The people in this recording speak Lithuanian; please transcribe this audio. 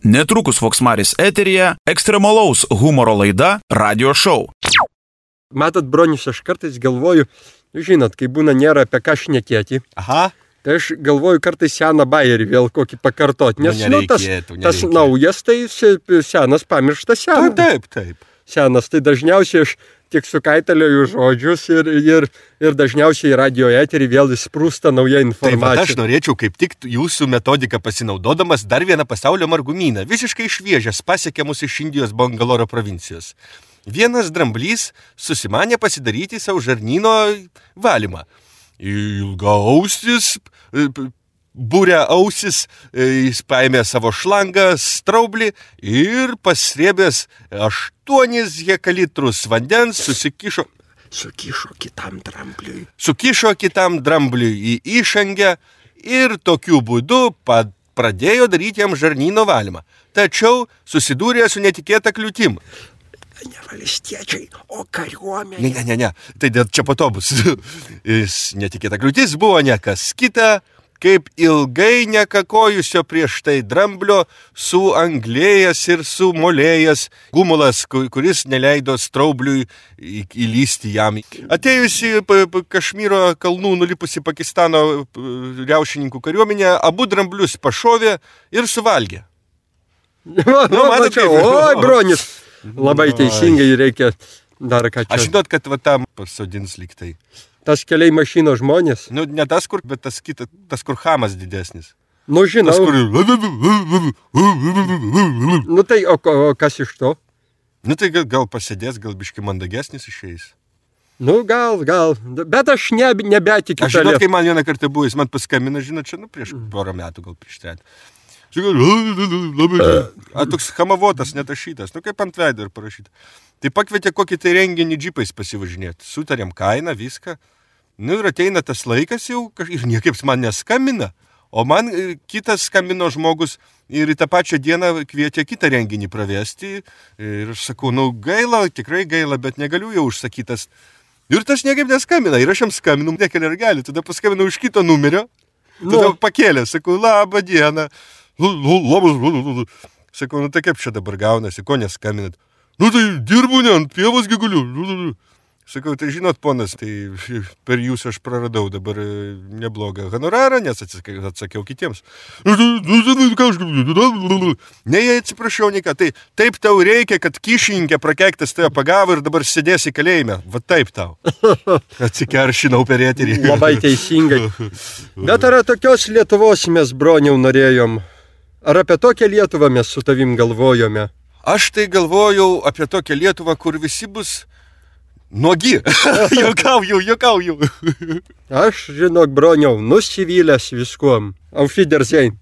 Netrukus Voksmaris eteryje ekstremalaus humoro laida Radio Show. Matot, bronius, aš kartais galvoju, žinot, kai būna nėra apie ką šnekėti. Aha. Tai aš galvoju kartais seną bajerį vėl kokį pakartoti, nes tas naujas, tai senas pamirštas senas. Taip. Senas, tai dažniausiai aš tik sukaitaliuoju žodžius ir dažniausiai radio eterį vėl įsprūsta nauja informacija. Taip, aš norėčiau kaip tik jūsų metodiką pasinaudodamas dar vieną pasaulio margumyną, visiškai šviežias, pasiekė mus iš Indijos Bangaloro provincijos. Vienas dramblys susimanė pasidaryti savo žarnyno valymą. Ilgaausis, būrė ausis, jis paėmė savo šlangą, straublį ir pasrėbęs 8 hekalitrus vandens Sukišo kitam drambliui į išangę ir tokiu būdu pradėjo daryti jam žarnyno valymą. Tačiau susidūrė su netikėta kliūtim. Ne valstiečiai, o kariuomenė. Ne. Tai čia po to bus. Netikėta kliūtis buvo ne kas kita, kaip ilgai nekakojusio prieš tai dramblio suanglėjęs ir sumolėjęs gumulas, kuris neleido straubliui įlysti jam. Atėjusi Kašmyro kalnų nulipusi Pakistano riaušininkų kariuomenė, abu dramblius pašovė ir suvalgė. Oi, bronis. Labai teisingai reikia dar ką čia. Aš žinot, kad va tam pasodins lyg tai. Tas keliai mašinos žmonės? Ne tas, bet tas kur Hamas didesnis. Žinau. Tas, kur... Tai o kas iš to? Tai gal pasėdės, gal biški mandagesnis išeis. Gal. Bet aš nebetikiu. Aš žinot, kai man vieną kartą buvo, jis man paskambino, žinot, čia prieš porą metų, gal prieš 3. Toks hamavotas, netašytas, kaip ant veido ir parašyta. Tai pakvietė kokį tai renginį džipais pasivažinėti. Sutarėm kainą, viską. Ir ateina tas laikas jau, ir niekaip man neskambina. O man kitas skambino žmogus ir į tą pačią dieną kvietė kitą renginį pravesti. Ir aš sakau, gaila, tikrai gaila, bet negaliu jau užsakytas. Ir tas niekaip neskambina. Ir aš jam skambinu, nekelia ragelį. Tada paskambinu už kito numerio. Tada pakėlė, sakau, labą dieną. Sakau, tai kaip čia dabar gaunasi, ko neskaminat? Tai dirbu, ne, ant pievos guliu. Sakau, tai žinot, ponas, tai per jūs aš praradau dabar neblogą honorarą, nes atsakiau kitiems. Ne, atsiprašau, niką, tai taip tau reikia, kad kyšininkė prakeiktas tave pagavo ir dabar sėdėsi kalėjime. Va taip tau. Atsikeršinau per eterį. Labai teisingai. Bet ar tokios Lietuvos mes, broniau, norėjom? Ar apie tokią Lietuvą mes su tavim galvojome? Aš tai galvojau apie tokią Lietuvą, kur visi bus nuogi. Juokauju. Aš, žinok, broniau, nusivylęs viskuom. Auf Wiedersehen.